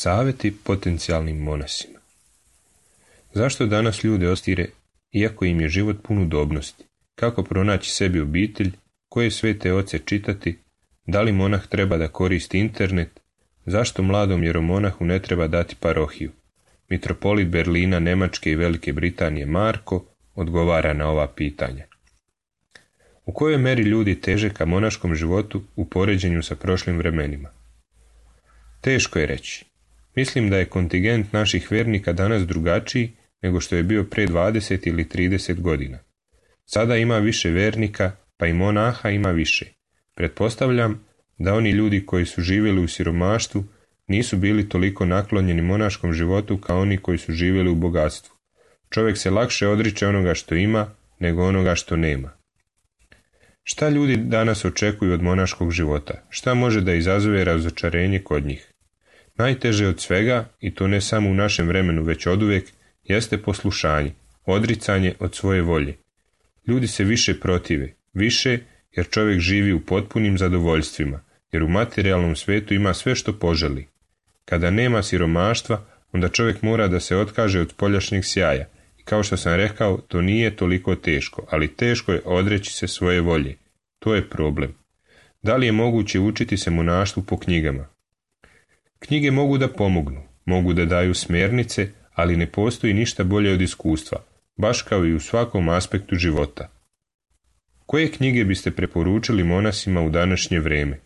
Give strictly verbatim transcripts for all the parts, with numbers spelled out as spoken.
Savjeti potencijalnim monasima. Zašto danas ljude ostire, iako im je život pun udobnosti? Kako pronaći sebi obitelj? Koje svete oce čitati? Da li monah treba da koristi internet? Zašto mladom jeromonahu ne treba dati parohiju? Mitropolit Berlina, Nemačke i Velike Britanije Marko odgovara na ova pitanja. U kojoj meri ljudi teže ka monaškom životu u poređenju sa prošlim vremenima? Teško je reći. Mislim da je kontingent naših vernika danas drugačiji nego što je bio pre dvadeset ili trideset godina. Sada ima više vernika, pa i monaha ima više. Pretpostavljam da oni ljudi koji su živjeli u siromaštvu nisu bili toliko naklonjeni monaškom životu kao oni koji su živjeli u bogatstvu. Čovjek se lakše odriče onoga što ima nego onoga što nema. Šta ljudi danas očekuju od monaškog života? Šta može da izazove razočarenje kod njih? Najteže od svega, i to ne samo u našem vremenu već oduvijek, jeste poslušanje, odricanje od svoje volje. Ljudi se više protive, više jer čovjek živi u potpunim zadovoljstvima, jer u materijalnom svijetu ima sve što poželi. Kada nema siromaštva, onda čovjek mora da se otkaže od spoljašnjeg sjaja. I kao što sam rekao, to nije toliko teško, ali teško je odreći se svoje volje. To je problem. Da li je moguće učiti se monaštvu po knjigama? Knjige mogu da pomognu, mogu da daju smjernice, ali ne postoji ništa bolje od iskustva, baš kao i u svakom aspektu života. Koje knjige biste preporučili monasima u današnje vrijeme?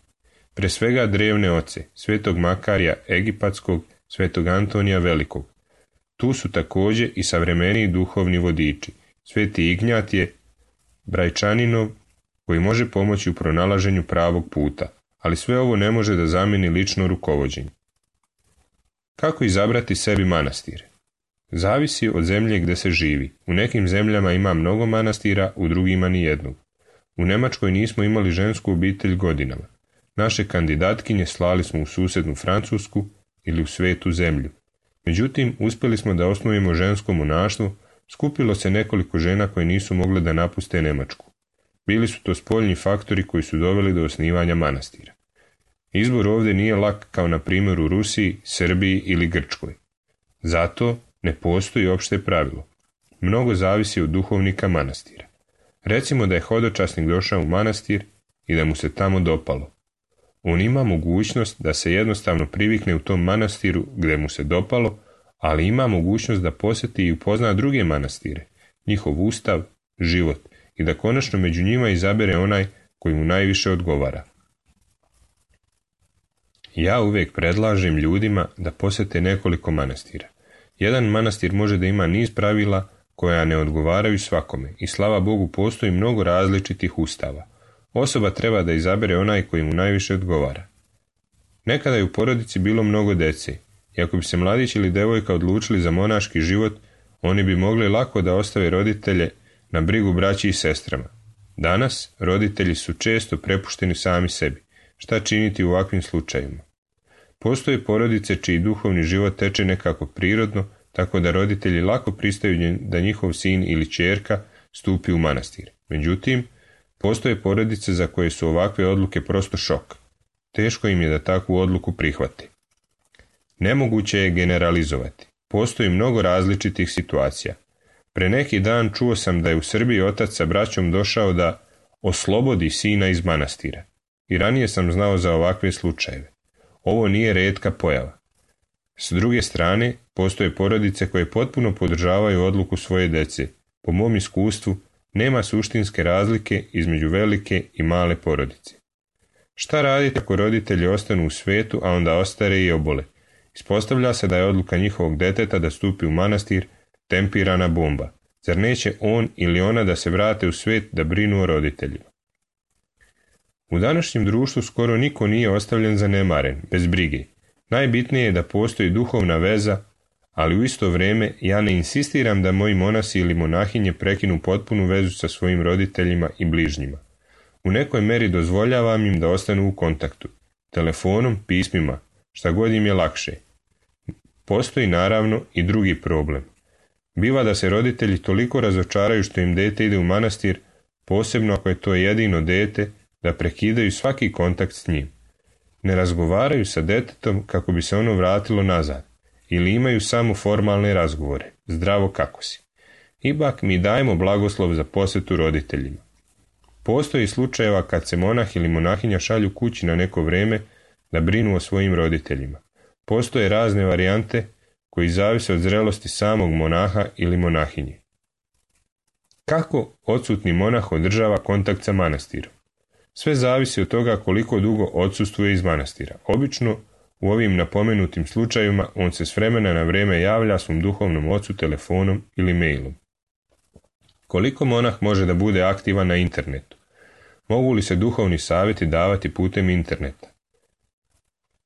Pre svega drevne oce, svetog Makarija Egipatskog, svetog Antonija Velikog. Tu su također i savremeniji duhovni vodiči, sveti Ignjatije Brajčaninov, koji može pomoći u pronalaženju pravog puta, ali sve ovo ne može da zamijeni lično rukovođenje. Kako izabrati sebi manastir? Zavisi od zemlje gdje se živi. U nekim zemljama ima mnogo manastira, u drugima ni jednog. U Njemačkoj nismo imali žensku obitelj godinama. Naše kandidatkinje slali smo u susjednu Francusku ili u svetu zemlju. Međutim, uspjeli smo da osnujemo žensko monaštvo, skupilo se nekoliko žena koje nisu mogle da napuste Njemačku. Bili su to spoljni faktori koji su doveli do osnivanja manastira. Izbor ovdje nije lak kao na primjer u Rusiji, Srbiji ili Grčkoj. Zato ne postoji opšte pravilo. Mnogo zavisi od duhovnika manastira. Recimo da je hodočasnik došao u manastir i da mu se tamo dopalo. On ima mogućnost da se jednostavno privikne u tom manastiru gdje mu se dopalo, ali ima mogućnost da posjeti i upozna druge manastire, njihov ustav, život i da konačno među njima izabere onaj koji mu najviše odgovara. Ja uvijek predlažem ljudima da posjete nekoliko manastira. Jedan manastir može da ima niz pravila koja ne odgovaraju svakome i slava Bogu postoji mnogo različitih ustava. Osoba treba da izabere onaj koji mu najviše odgovara. Nekada je u porodici bilo mnogo dece i ako bi se mladić ili devojka odlučili za monaški život, oni bi mogli lako da ostave roditelje na brigu braći i sestrama. Danas roditelji su često prepušteni sami sebi. Šta činiti u ovakvim slučajevima? Postoje porodice čiji duhovni život teče nekako prirodno, tako da roditelji lako pristaju da njihov sin ili ćerka stupi u manastir. Međutim, postoje porodice za koje su ovakve odluke prosto šok. Teško im je da takvu odluku prihvate. Nemoguće je generalizovati. Postoji mnogo različitih situacija. Pre neki dan čuo sam da je u Srbiji otac sa braćom došao da oslobodi sina iz manastira. I ranije sam znao za ovakve slučajeve. Ovo nije rijetka pojava. S druge strane, postoje porodice koje potpuno podržavaju odluku svoje dece. Po mom iskustvu, nema suštinske razlike između velike i male porodice. Šta raditi ako roditelji ostanu u svetu, a onda ostare i obole? Ispostavlja se da je odluka njihovog deteta da stupi u manastir tempirana bomba. Zar neće on ili ona da se vrate u svijet da brinu o roditeljima? U današnjem društvu skoro niko nije ostavljen zanemaren, bez brige. Najbitnije je da postoji duhovna veza, ali u isto vrijeme ja ne insistiram da moji monasi ili monahinje prekinu potpunu vezu sa svojim roditeljima i bližnjima. U nekoj meri dozvoljavam im da ostanu u kontaktu, telefonom, pismima, šta god im je lakše. Postoji naravno i drugi problem. Biva da se roditelji toliko razočaraju što im dete ide u manastir, posebno ako je to jedino dete, da prekidaju svaki kontakt s njim. Ne razgovaraju sa detetom kako bi se ono vratilo nazad, ili imaju samo formalne razgovore, zdravo kako si. Ipak mi dajemo blagoslov za posjetu roditeljima. Postoji slučajeva kad se monah ili monahinja šalju kući na neko vrijeme da brinu o svojim roditeljima. Postoje razne varijante koji zavise od zrelosti samog monaha ili monahinje. Kako odsutni monah održava kontakt sa manastirom? Sve zavisi od toga koliko dugo odsustvuje iz manastira. Obično u ovim napomenutim slučajevima on se s vremena na vrijeme javlja svom duhovnom ocu telefonom ili mailom. Koliko monah može da bude aktivan na internetu? Mogu li se duhovni savjeti davati putem interneta?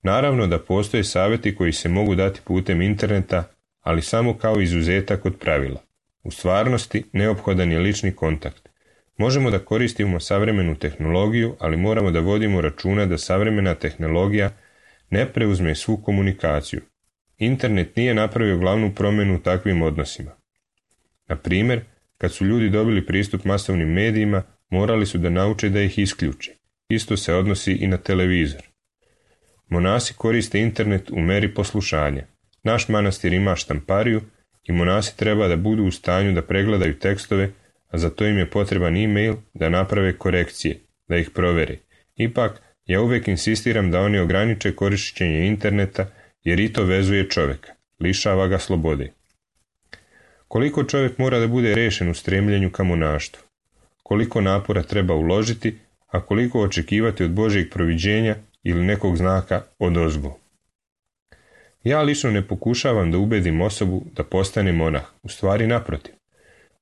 Naravno da postoje savjeti koji se mogu dati putem interneta, ali samo kao izuzetak od pravila. U stvarnosti neophodan je lični kontakt. Možemo da koristimo savremenu tehnologiju, ali moramo da vodimo računa da savremena tehnologija ne preuzme svu komunikaciju. Internet nije napravio glavnu promjenu u takvim odnosima. Na primjer, kad su ljudi dobili pristup masovnim medijima, morali su da nauče da ih isključe. Isto se odnosi i na televizor. Monasi koriste internet u meri poslušanja. Naš manastir ima štampariju i monasi treba da budu u stanju da pregledaju tekstove, a za to im je potreban e-mail da naprave korekcije, da ih provere. Ipak, ja uvijek insistiram da oni ograniče korišćenje interneta, jer i to vezuje čovjeka, lišava ga slobode. Koliko čovjek mora da bude rešen u stremljenju ka monaštvu? Koliko napora treba uložiti, a koliko očekivati od Božjeg proviđenja ili nekog znaka odozgo? Ja lično ne pokušavam da ubedim osobu da postane monah, u stvari naprotiv.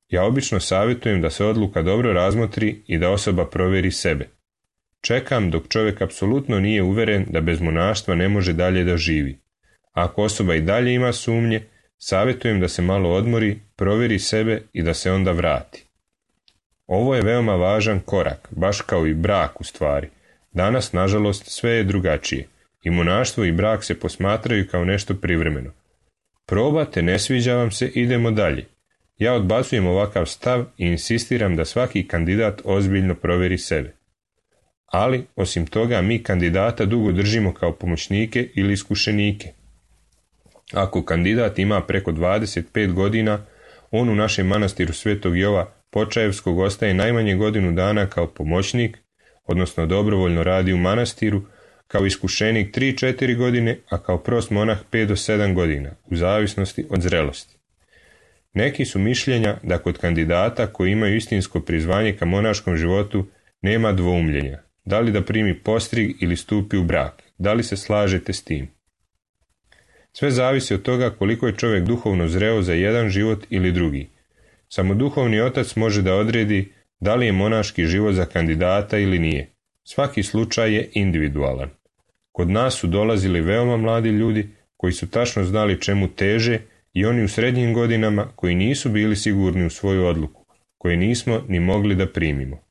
Ja obično savjetujem da se odluka dobro razmotri i da osoba provjeri sebe. Čekam dok čovjek apsolutno nije uveren da bez monaštva ne može dalje da živi. Ako osoba i dalje ima sumnje, savjetujem da se malo odmori, provjeri sebe i da se onda vrati. Ovo je veoma važan korak, baš kao i brak u stvari. Danas, nažalost, sve je drugačije. I monaštvo i brak se posmatraju kao nešto privremeno. Probate, ne sviđa vam se, idemo dalje. Ja odbacujem ovakav stav i insistiram da svaki kandidat ozbiljno provjeri sebe. Ali, osim toga, mi kandidata dugo držimo kao pomoćnike ili iskušenike. Ako kandidat ima preko dvadeset pet godina, on u našem manastiru Svetog Jova Počajevskog ostaje najmanje godinu dana kao pomoćnik, odnosno dobrovoljno radi u manastiru, kao iskušenik tri do četiri godine, a kao prost monah pet do sedam godina, u zavisnosti od zrelosti. Neki su mišljenja da kod kandidata koji imaju istinsko prizvanje ka monaškom životu nema dvoumljenja, da li da primi postrig ili stupi u brak, da li se slažete s tim. Sve zavisi od toga koliko je čovjek duhovno zreo za jedan život ili drugi. Samo duhovni otac može da odredi da li je monaški život za kandidata ili nije. Svaki slučaj je individualan. Kod nas su dolazili veoma mladi ljudi koji su tačno znali čemu teže i oni u srednjim godinama koji nisu bili sigurni u svoju odluku, koje nismo ni mogli da primimo.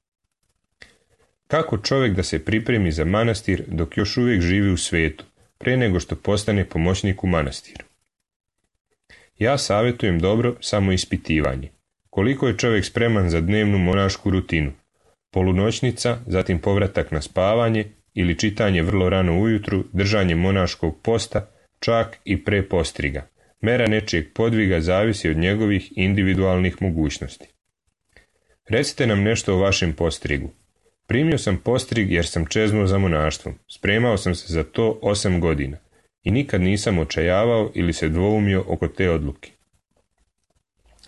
Kako čovjek da se pripremi za manastir dok još uvijek živi u svijetu, pre nego što postane pomoćnik u manastiru? Ja savjetujem dobro samo ispitivanje. Koliko je čovjek spreman za dnevnu monašku rutinu? Polunoćnica, zatim povratak na spavanje ili čitanje vrlo rano ujutru, držanje monaškog posta, čak i pre postriga. Mera nečijeg podviga zavisi od njegovih individualnih mogućnosti. Recite nam nešto o vašem postrigu. Primio sam postrig jer sam čeznuo za monaštvom. Spremao sam se za to osam godina i nikad nisam očajavao ili se dvoumio oko te odluke.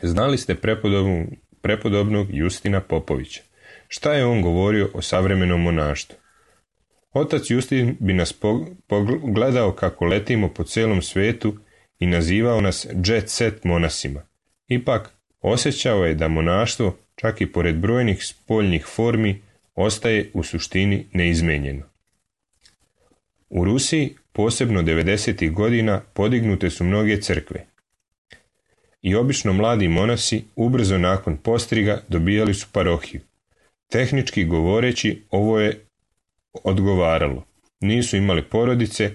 Znali ste prepodobnog, prepodobnog Justina Popovića. Šta je on govorio o savremenom monaštvu? Otac Justin bi nas pogledao kako letimo po celom svetu i nazivao nas jet set monasima. Ipak, osjećao je da monaštvo, čak i pored brojnih spoljnih formi, ostaje u suštini neizmenjeno. U Rusiji, posebno devedesetih godina, podignute su mnoge crkve. I obično mladi monasi, ubrzo nakon postriga, dobijali su parohiju. Tehnički govoreći, ovo je odgovaralo. Nisu imali porodice,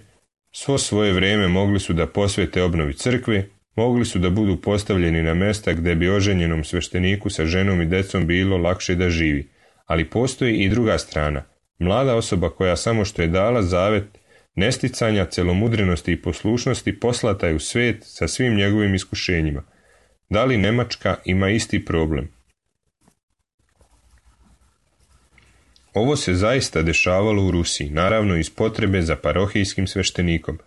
svo svoje vrijeme mogli su da posvete obnovi crkve, mogli su da budu postavljeni na mesta gdje bi oženjenom svešteniku sa ženom i decom bilo lakše da živi. Ali postoji i druga strana. Mlada osoba koja samo što je dala zavet nesticanja, celomudrenosti i poslušnosti poslata je u svijet sa svim njegovim iskušenjima. Da li Nemačka ima isti problem? Ovo se zaista dešavalo u Rusiji, naravno iz potrebe za parohijskim sveštenikom.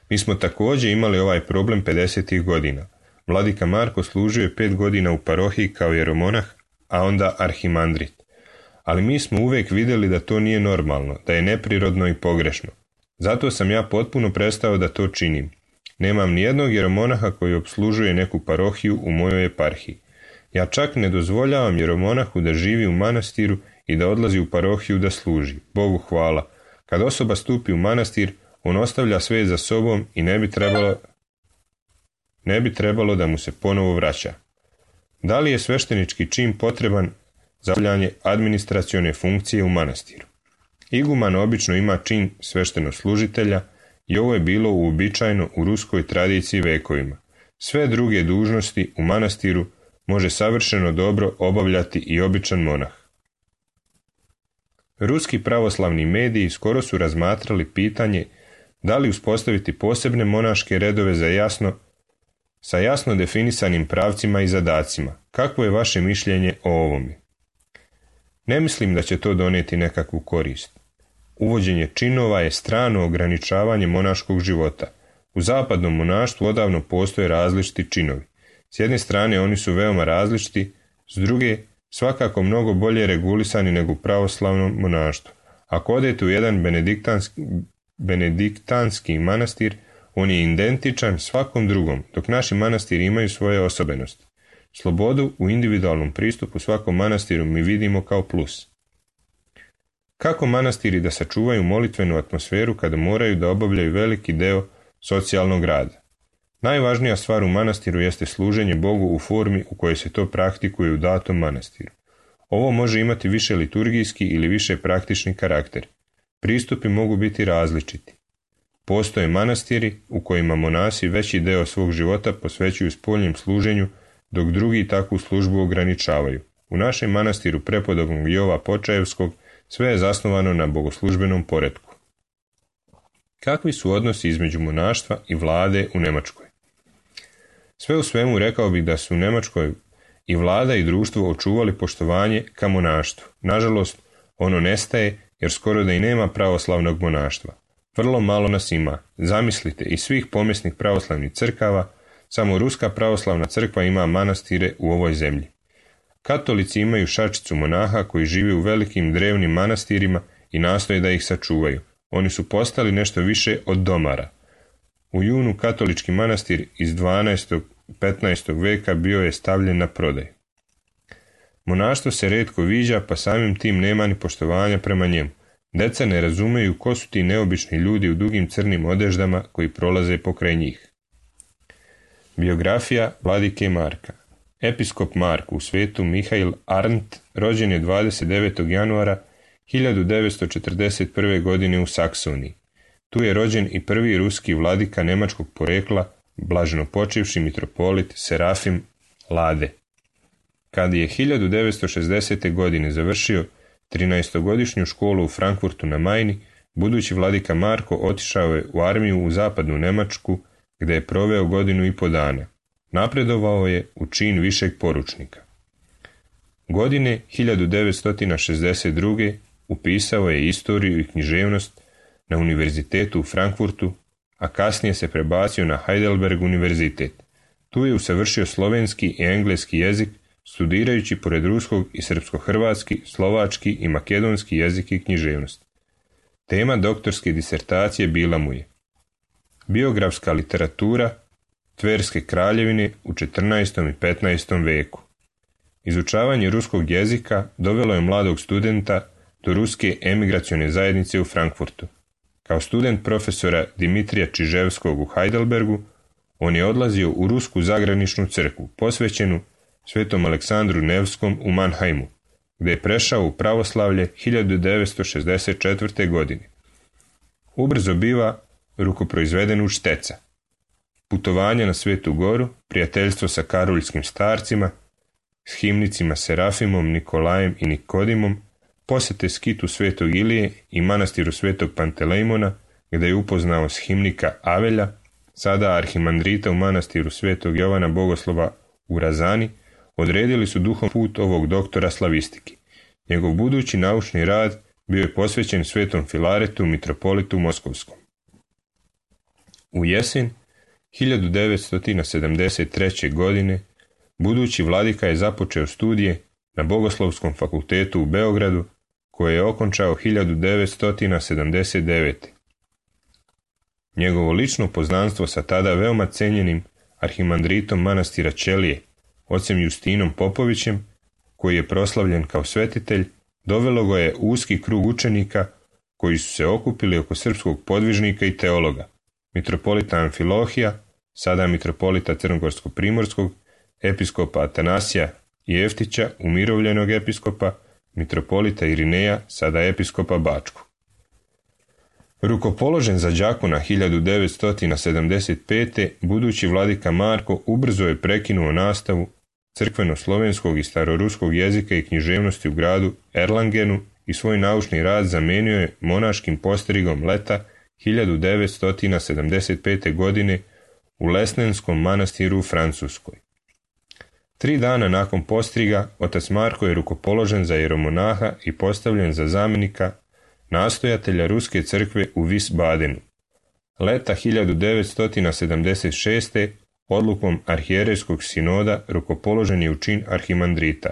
Mi smo također imali ovaj problem pedesetih godina. Vladika Marko služio je pet godina u parohiji kao jeromonah, a onda arhimandrit. Ali mi smo uvijek vidjeli da to nije normalno, da je neprirodno i pogrešno. Zato sam ja potpuno prestao da to činim. Nemam nijednog jeromonaha koji opslužuje neku parohiju u mojoj eparhiji. Ja čak ne dozvoljavam jeromonahu da živi u manastiru i da odlazi u parohiju da služi. Bogu hvala. Kad osoba stupi u manastir, on ostavlja sve za sobom i ne bi trebalo, ne bi trebalo da mu se ponovo vraća. Da li je sveštenički čin potreban za obavljanje administracione funkcije u manastiru? Iguman obično ima čin sveštenoslužitelja i ovo je bilo uobičajeno u ruskoj tradiciji vekovima. Sve druge dužnosti u manastiru može savršeno dobro obavljati i običan monah. Ruski pravoslavni mediji skoro su razmatrali pitanje da li uspostaviti posebne monaške redove za jasno, sa jasno definisanim pravcima i zadacima. Kakvo je vaše mišljenje o ovome? Ne mislim da će to donijeti nekakvu korist. Uvođenje činova je strano ograničavanje monaškog života. U zapadnom monaštvu odavno postoje različiti činovi. S jedne strane oni su veoma različiti, s druge svakako mnogo bolje regulisani nego u pravoslavnom monaštvu. Ako odete u jedan benediktanski, benediktanski manastir, on je identičan svakom drugom, dok naši manastiri imaju svoje osobenosti. Slobodu u individualnom pristupu svakom manastiru mi vidimo kao plus. Kako manastiri da sačuvaju molitvenu atmosferu kada moraju da obavljaju veliki deo socijalnog rada? Najvažnija stvar u manastiru jeste služenje Bogu u formi u kojoj se to praktikuje u datom manastiru. Ovo može imati više liturgijski ili više praktični karakter. Pristupi mogu biti različiti. Postoje manastiri u kojima monasi veći deo svog života posvećuju spoljnim služenju, dok drugi takvu službu ograničavaju. U našem manastiru prepodobnog Jova Počaevskog sve je zasnovano na bogoslužbenom poretku. Kakvi su odnosi između monaštva i vlade u Njemačkoj? Sve u svemu rekao bih da su u Njemačkoj i vlada i društvo očuvali poštovanje ka monaštvu. Nažalost, ono nestaje jer skoro da i nema pravoslavnog monaštva. Vrlo malo nas ima. Zamislite, iz svih pomjesnih pravoslavnih crkava, samo Ruska pravoslavna crkva ima manastire u ovoj zemlji. Katolici imaju šačicu monaha koji žive u velikim drevnim manastirima i nastoje da ih sačuvaju. Oni su postali nešto više od domara. U junu katolički manastir iz dvanaestog petnaestog veka bio je stavljen na prodaj. Monaštvo se retko viđa, pa samim tim nema ni poštovanja prema njemu. Deca ne razumeju ko su ti neobični ljudi u dugim crnim odeždama koji prolaze pokraj njih. Biografija vladike Marka. Episkop Mark u svetu Mihail Arndt rođen je dvadeset devetog januara hiljadu devetsto četrdeset prve. godine u Saksoniji. Tu je rođen i prvi ruski vladika nemačkog porekla, blaženopočivši mitropolit Serafim Lade. Kad je hiljadu devetsto šezdesete. godine završio trinaestogodišnju školu u Frankfurtu na Majni, budući vladika Marko otišao je u armiju u zapadnu Njemačku, gdje je proveo godinu i po dana. Napredovao je u čin višeg poručnika. Godine hiljadu devetsto šezdeset druge. upisao je istoriju i književnost na univerzitetu u Frankfurtu, a kasnije se prebacio na Heidelberg univerzitet. Tu je usavršio slovenski i engleski jezik, studirajući pored ruskog i srpsko-hrvatski, slovački i makedonski jezik i književnost. Tema doktorske disertacije bila mu je biografska literatura Tverske kraljevine u četrnaestom i petnaestom veku. Izučavanje ruskog jezika dovelo je mladog studenta do ruske emigracione zajednice u Frankfurtu. Kao student profesora Dimitrija Čiževskog u Heidelbergu, on je odlazio u rusku zagraničnu crkvu, posvećenu svetom Aleksandru Nevskom u Mannheimu, gdje je prešao u pravoslavlje hiljadu devetsto šezdeset četvrte. godine. Ubrzo biva rukoproizveden u šteca. Putovanja na Svetu Goru, prijateljstvo sa karoljskim starcima, s himnicima Serafimom, Nikolajem i Nikodimom, posjete skitu Svetog Ilije i manastiru Svetog Pantelejmona, gdje je upoznao s himnika Avelja, sada arhimandrita u manastiru Svetog Jovana Bogoslova u Razani, odredili su duhom put ovog doktora slavistiki. Njegov budući naučni rad bio je posvećen Svetom Filaretu, mitropolitu Moskovskom. U jesen hiljadu devetsto sedamdeset treće. godine budući vladika je započeo studije na Bogoslovskom fakultetu u Beogradu, koje je okončao hiljadu devetsto sedamdeset devete. Njegovo lično poznanstvo sa tada veoma cenjenim arhimandritom manastira Ćelije, ocem Justinom Popovićem, koji je proslavljen kao svetitelj, dovelo ga je uski krug učenika koji su se okupili oko srpskog podvižnika i teologa, mitropolita Amfilohija, sada mitropolita Crnogorsko-primorskog, episkopa Atanasija Jeftića, umirovljenog episkopa, mitropolita Irineja, sada episkopa Bačkog. Rukopoložen za đakona hiljadu devetsto sedamdeset pete. budući vladika Marko ubrzo je prekinuo nastavu crkveno-slovenskog i staroruskog jezika i književnosti u gradu Erlangenu i svoj naučni rad zamenio je monaškim postrigom leta hiljadu devetsto sedamdeset pete. godine u Lesnenskom manastiru u Francuskoj. Tri dana nakon postriga, otac Marko je rukopoložen za jeromonaha i postavljen za zamjenika nastojatelja Ruske crkve u Wiesbadenu. Leta hiljadu devetsto sedamdeset šeste. odlukom arhijerejskog sinoda rukopoložen je u čin arhimandrita.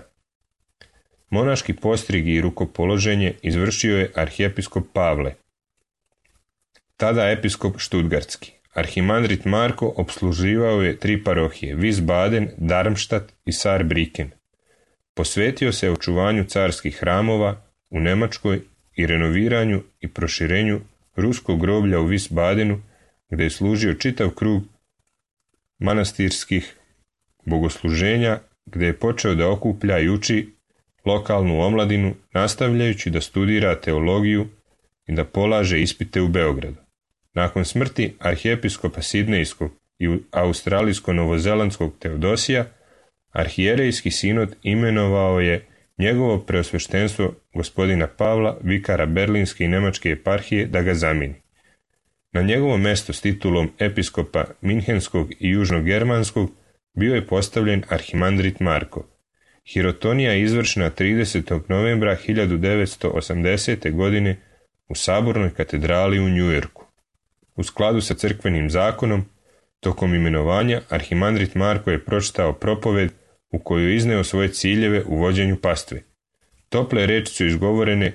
Monaški postrig i rukopoloženje izvršio je arhijepiskop Pavle, tada episkop Štutgartski. Arhimandrit Marko opsluživao je tri parohije, Wiesbaden, Darmstadt i Saarbrücken. Posvetio se očuvanju carskih hramova u Njemačkoj i renoviranju i proširenju ruskog groblja u Wiesbadenu, gdje je služio čitav krug manastirskih bogosluženja, gdje je počeo da okuplja i uči lokalnu omladinu, nastavljajući da studira teologiju i da polaže ispite u Beogradu. Nakon smrti arhijepiskopa Sidnejskog i australijsko-novozelandskog Teodosija, arhijerejski sinod imenovao je njegovo preosveštenstvo gospodina Pavla, vikara Berlinske i Nemačke eparhije, da ga zamijeni. Na njegovo mesto s titulom episkopa Minhenskog i južnogermanskog bio je postavljen arhimandrit Marko. Hirotonija je izvršena tridesetog novembra hiljadu devetsto osamdesete. godine u Sabornoj katedrali u Njujorku. U skladu sa crkvenim zakonom, tokom imenovanja arhimandrit Marko je pročitao propoved u kojoj je izneo svoje ciljeve u vođenju pastve. Tople reči su izgovorene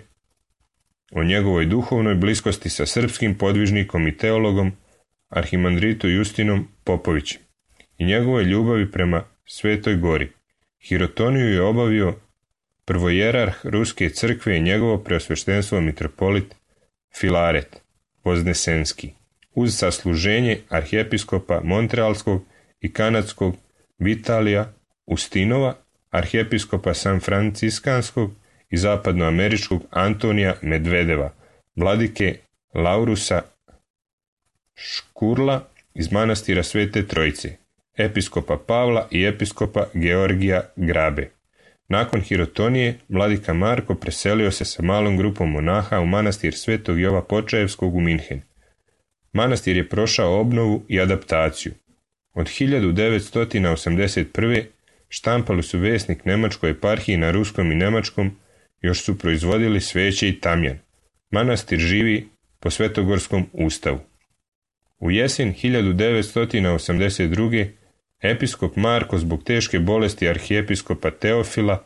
o njegovoj duhovnoj bliskosti sa srpskim podvižnikom i teologom arhimandritu Justinom Popovićem i njegove ljubavi prema Svetoj Gori. Hirotoniju je obavio prvojerarh Ruske crkve i njegovo preosveštenstvo mitropolit Filaret Voznesenski, uz sasluženje arhijepiskopa Montrealskog i kanadskog Vitalija Ustinova, arhijepiskopa San Franciskanskog i zapadnoameričkog Antonija Medvedeva, vladike Laurusa Škurla iz manastira Svete Trojice, episkopa Pavla i episkopa Georgija Grabe. Nakon Hirotonije, vladika Marko preselio se sa malom grupom monaha u manastir Svetog Jova Počaevskog u Minhen. Manastir je prošao obnovu i adaptaciju. Od hiljadu devetsto osamdeset prve. štampali su Vesnik Nemačkoj eparhiji na ruskom i nemačkom, još su proizvodili sveće i tamjan. Manastir živi po Svetogorskom ustavu. U jesen hiljadu devetsto osamdeset druge. episkop Marko zbog teške bolesti arhijepiskopa Teofila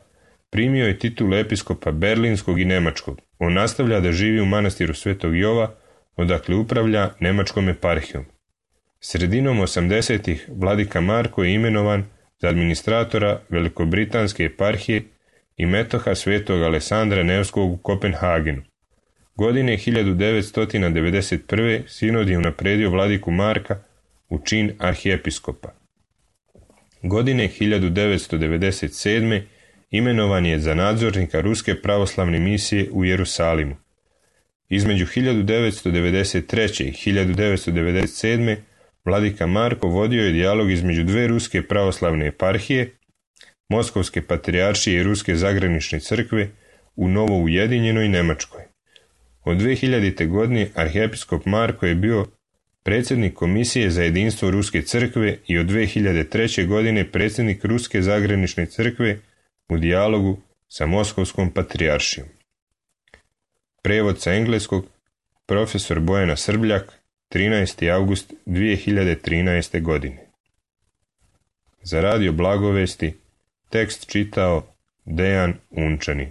primio je titulu episkopa Berlinskog i Nemačkog. On nastavlja da živi u manastiru Svetog Jova, odakle upravlja Nemačkom eparhijom. Sredinom osamdesetih vladika Marko je imenovan za administratora Velikobritanske eparhije i metoha Svetog Alesandra Nevskog u Kopenhagenu. Godine hiljadu devetsto devedeset prve. sinod je unapredio vladiku Marka u čin arhijepiskopa. Godine hiljadu devetsto devedeset sedme. imenovan je za nadzornika Ruske pravoslavne misije u Jerusalimu. Između hiljadu devetsto devedeset treće. i hiljadu devetsto devedeset sedme. vladika Marko vodio je dijalog između dve ruske pravoslavne eparhije, Moskovske patrijaršije i Ruske zagranične crkve u novo ujedinjenoj Nemačkoj. Od dve hiljadite. godine arhijepiskop Marko je bio predsjednik Komisije za jedinstvo Ruske crkve i od dve hiljade treće. godine predsjednik Ruske zagranične crkve u dijalogu sa Moskovskom patrijaršijom. Prevod sa engleskog profesor Bojana Srbljak, trinaesti avgust dve hiljade trinaeste. godine. Za radio Blagovesti tekst čitao Dejan Unčanin.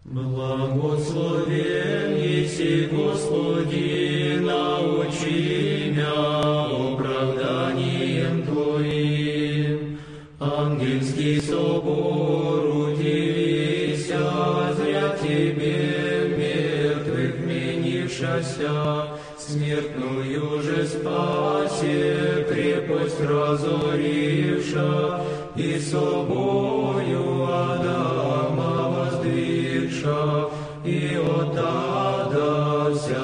Благословен еси, Господи, научи мя оправданием Твоим. Ангельский собор удивися, зря Тебе мертвых менившася, смертную же спасе крепость разоривша, и собою Адама воздвигша, и от ада вся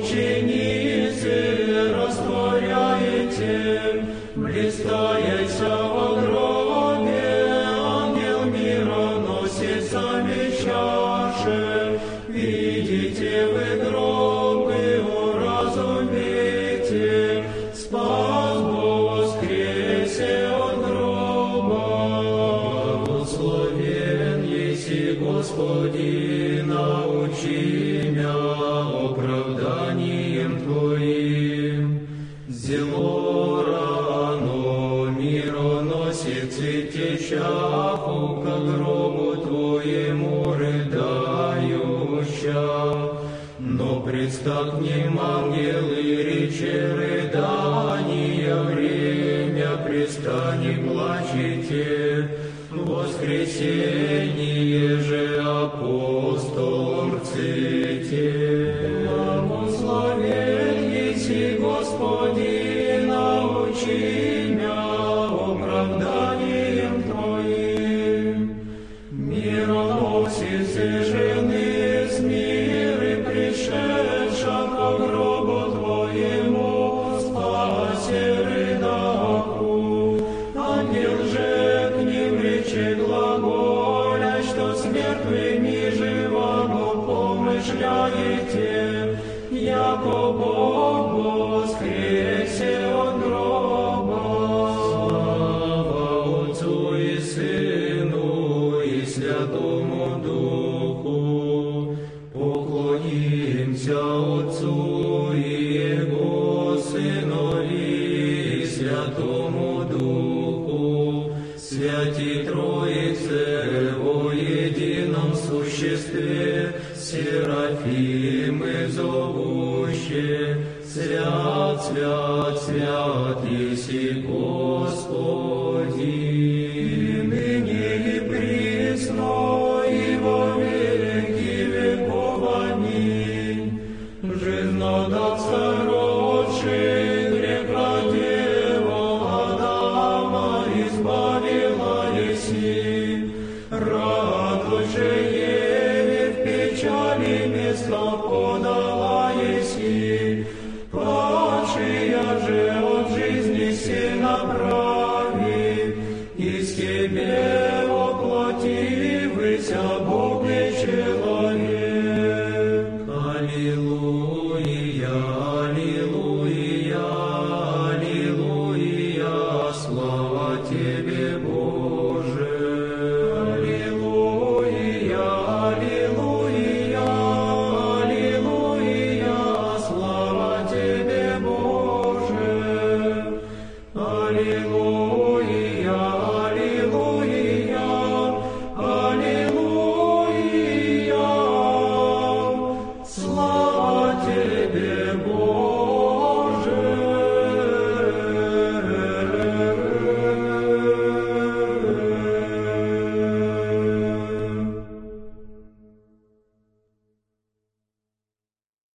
мученицы растворяете, блистаете во гробе, ангел мира носит сами чаши. Видите вы гробы, уразумейте, спас воскресе от гроба. Благословен еси Господи, научи мя оправданием Твоим. Зело рано мироносец и течаху ко гробу Твоему рыдающа. Но представ к ним ангелы, рече рыдания, время пристани плачете, воскресение же апостолом рците. Благословен еси Господи, научи мя оправданием Твоим. Мироносицы жены с миры пришедша ко гробу Твоему, спасе рыдаху. Ангел же к ним рече глаголя, что с мертвыми живого помышляете, яко Бог воскресе от гроба. Слава Отцу и Сыну и Святому Духу, поклонимся Отцу и Его Сынові и Святому Духу, Святі Троице во едином существе, Серафимы зовуще, свят, свят, свят еси Господи, ныне и присно и во веки веков. Аминь. Жизнодавца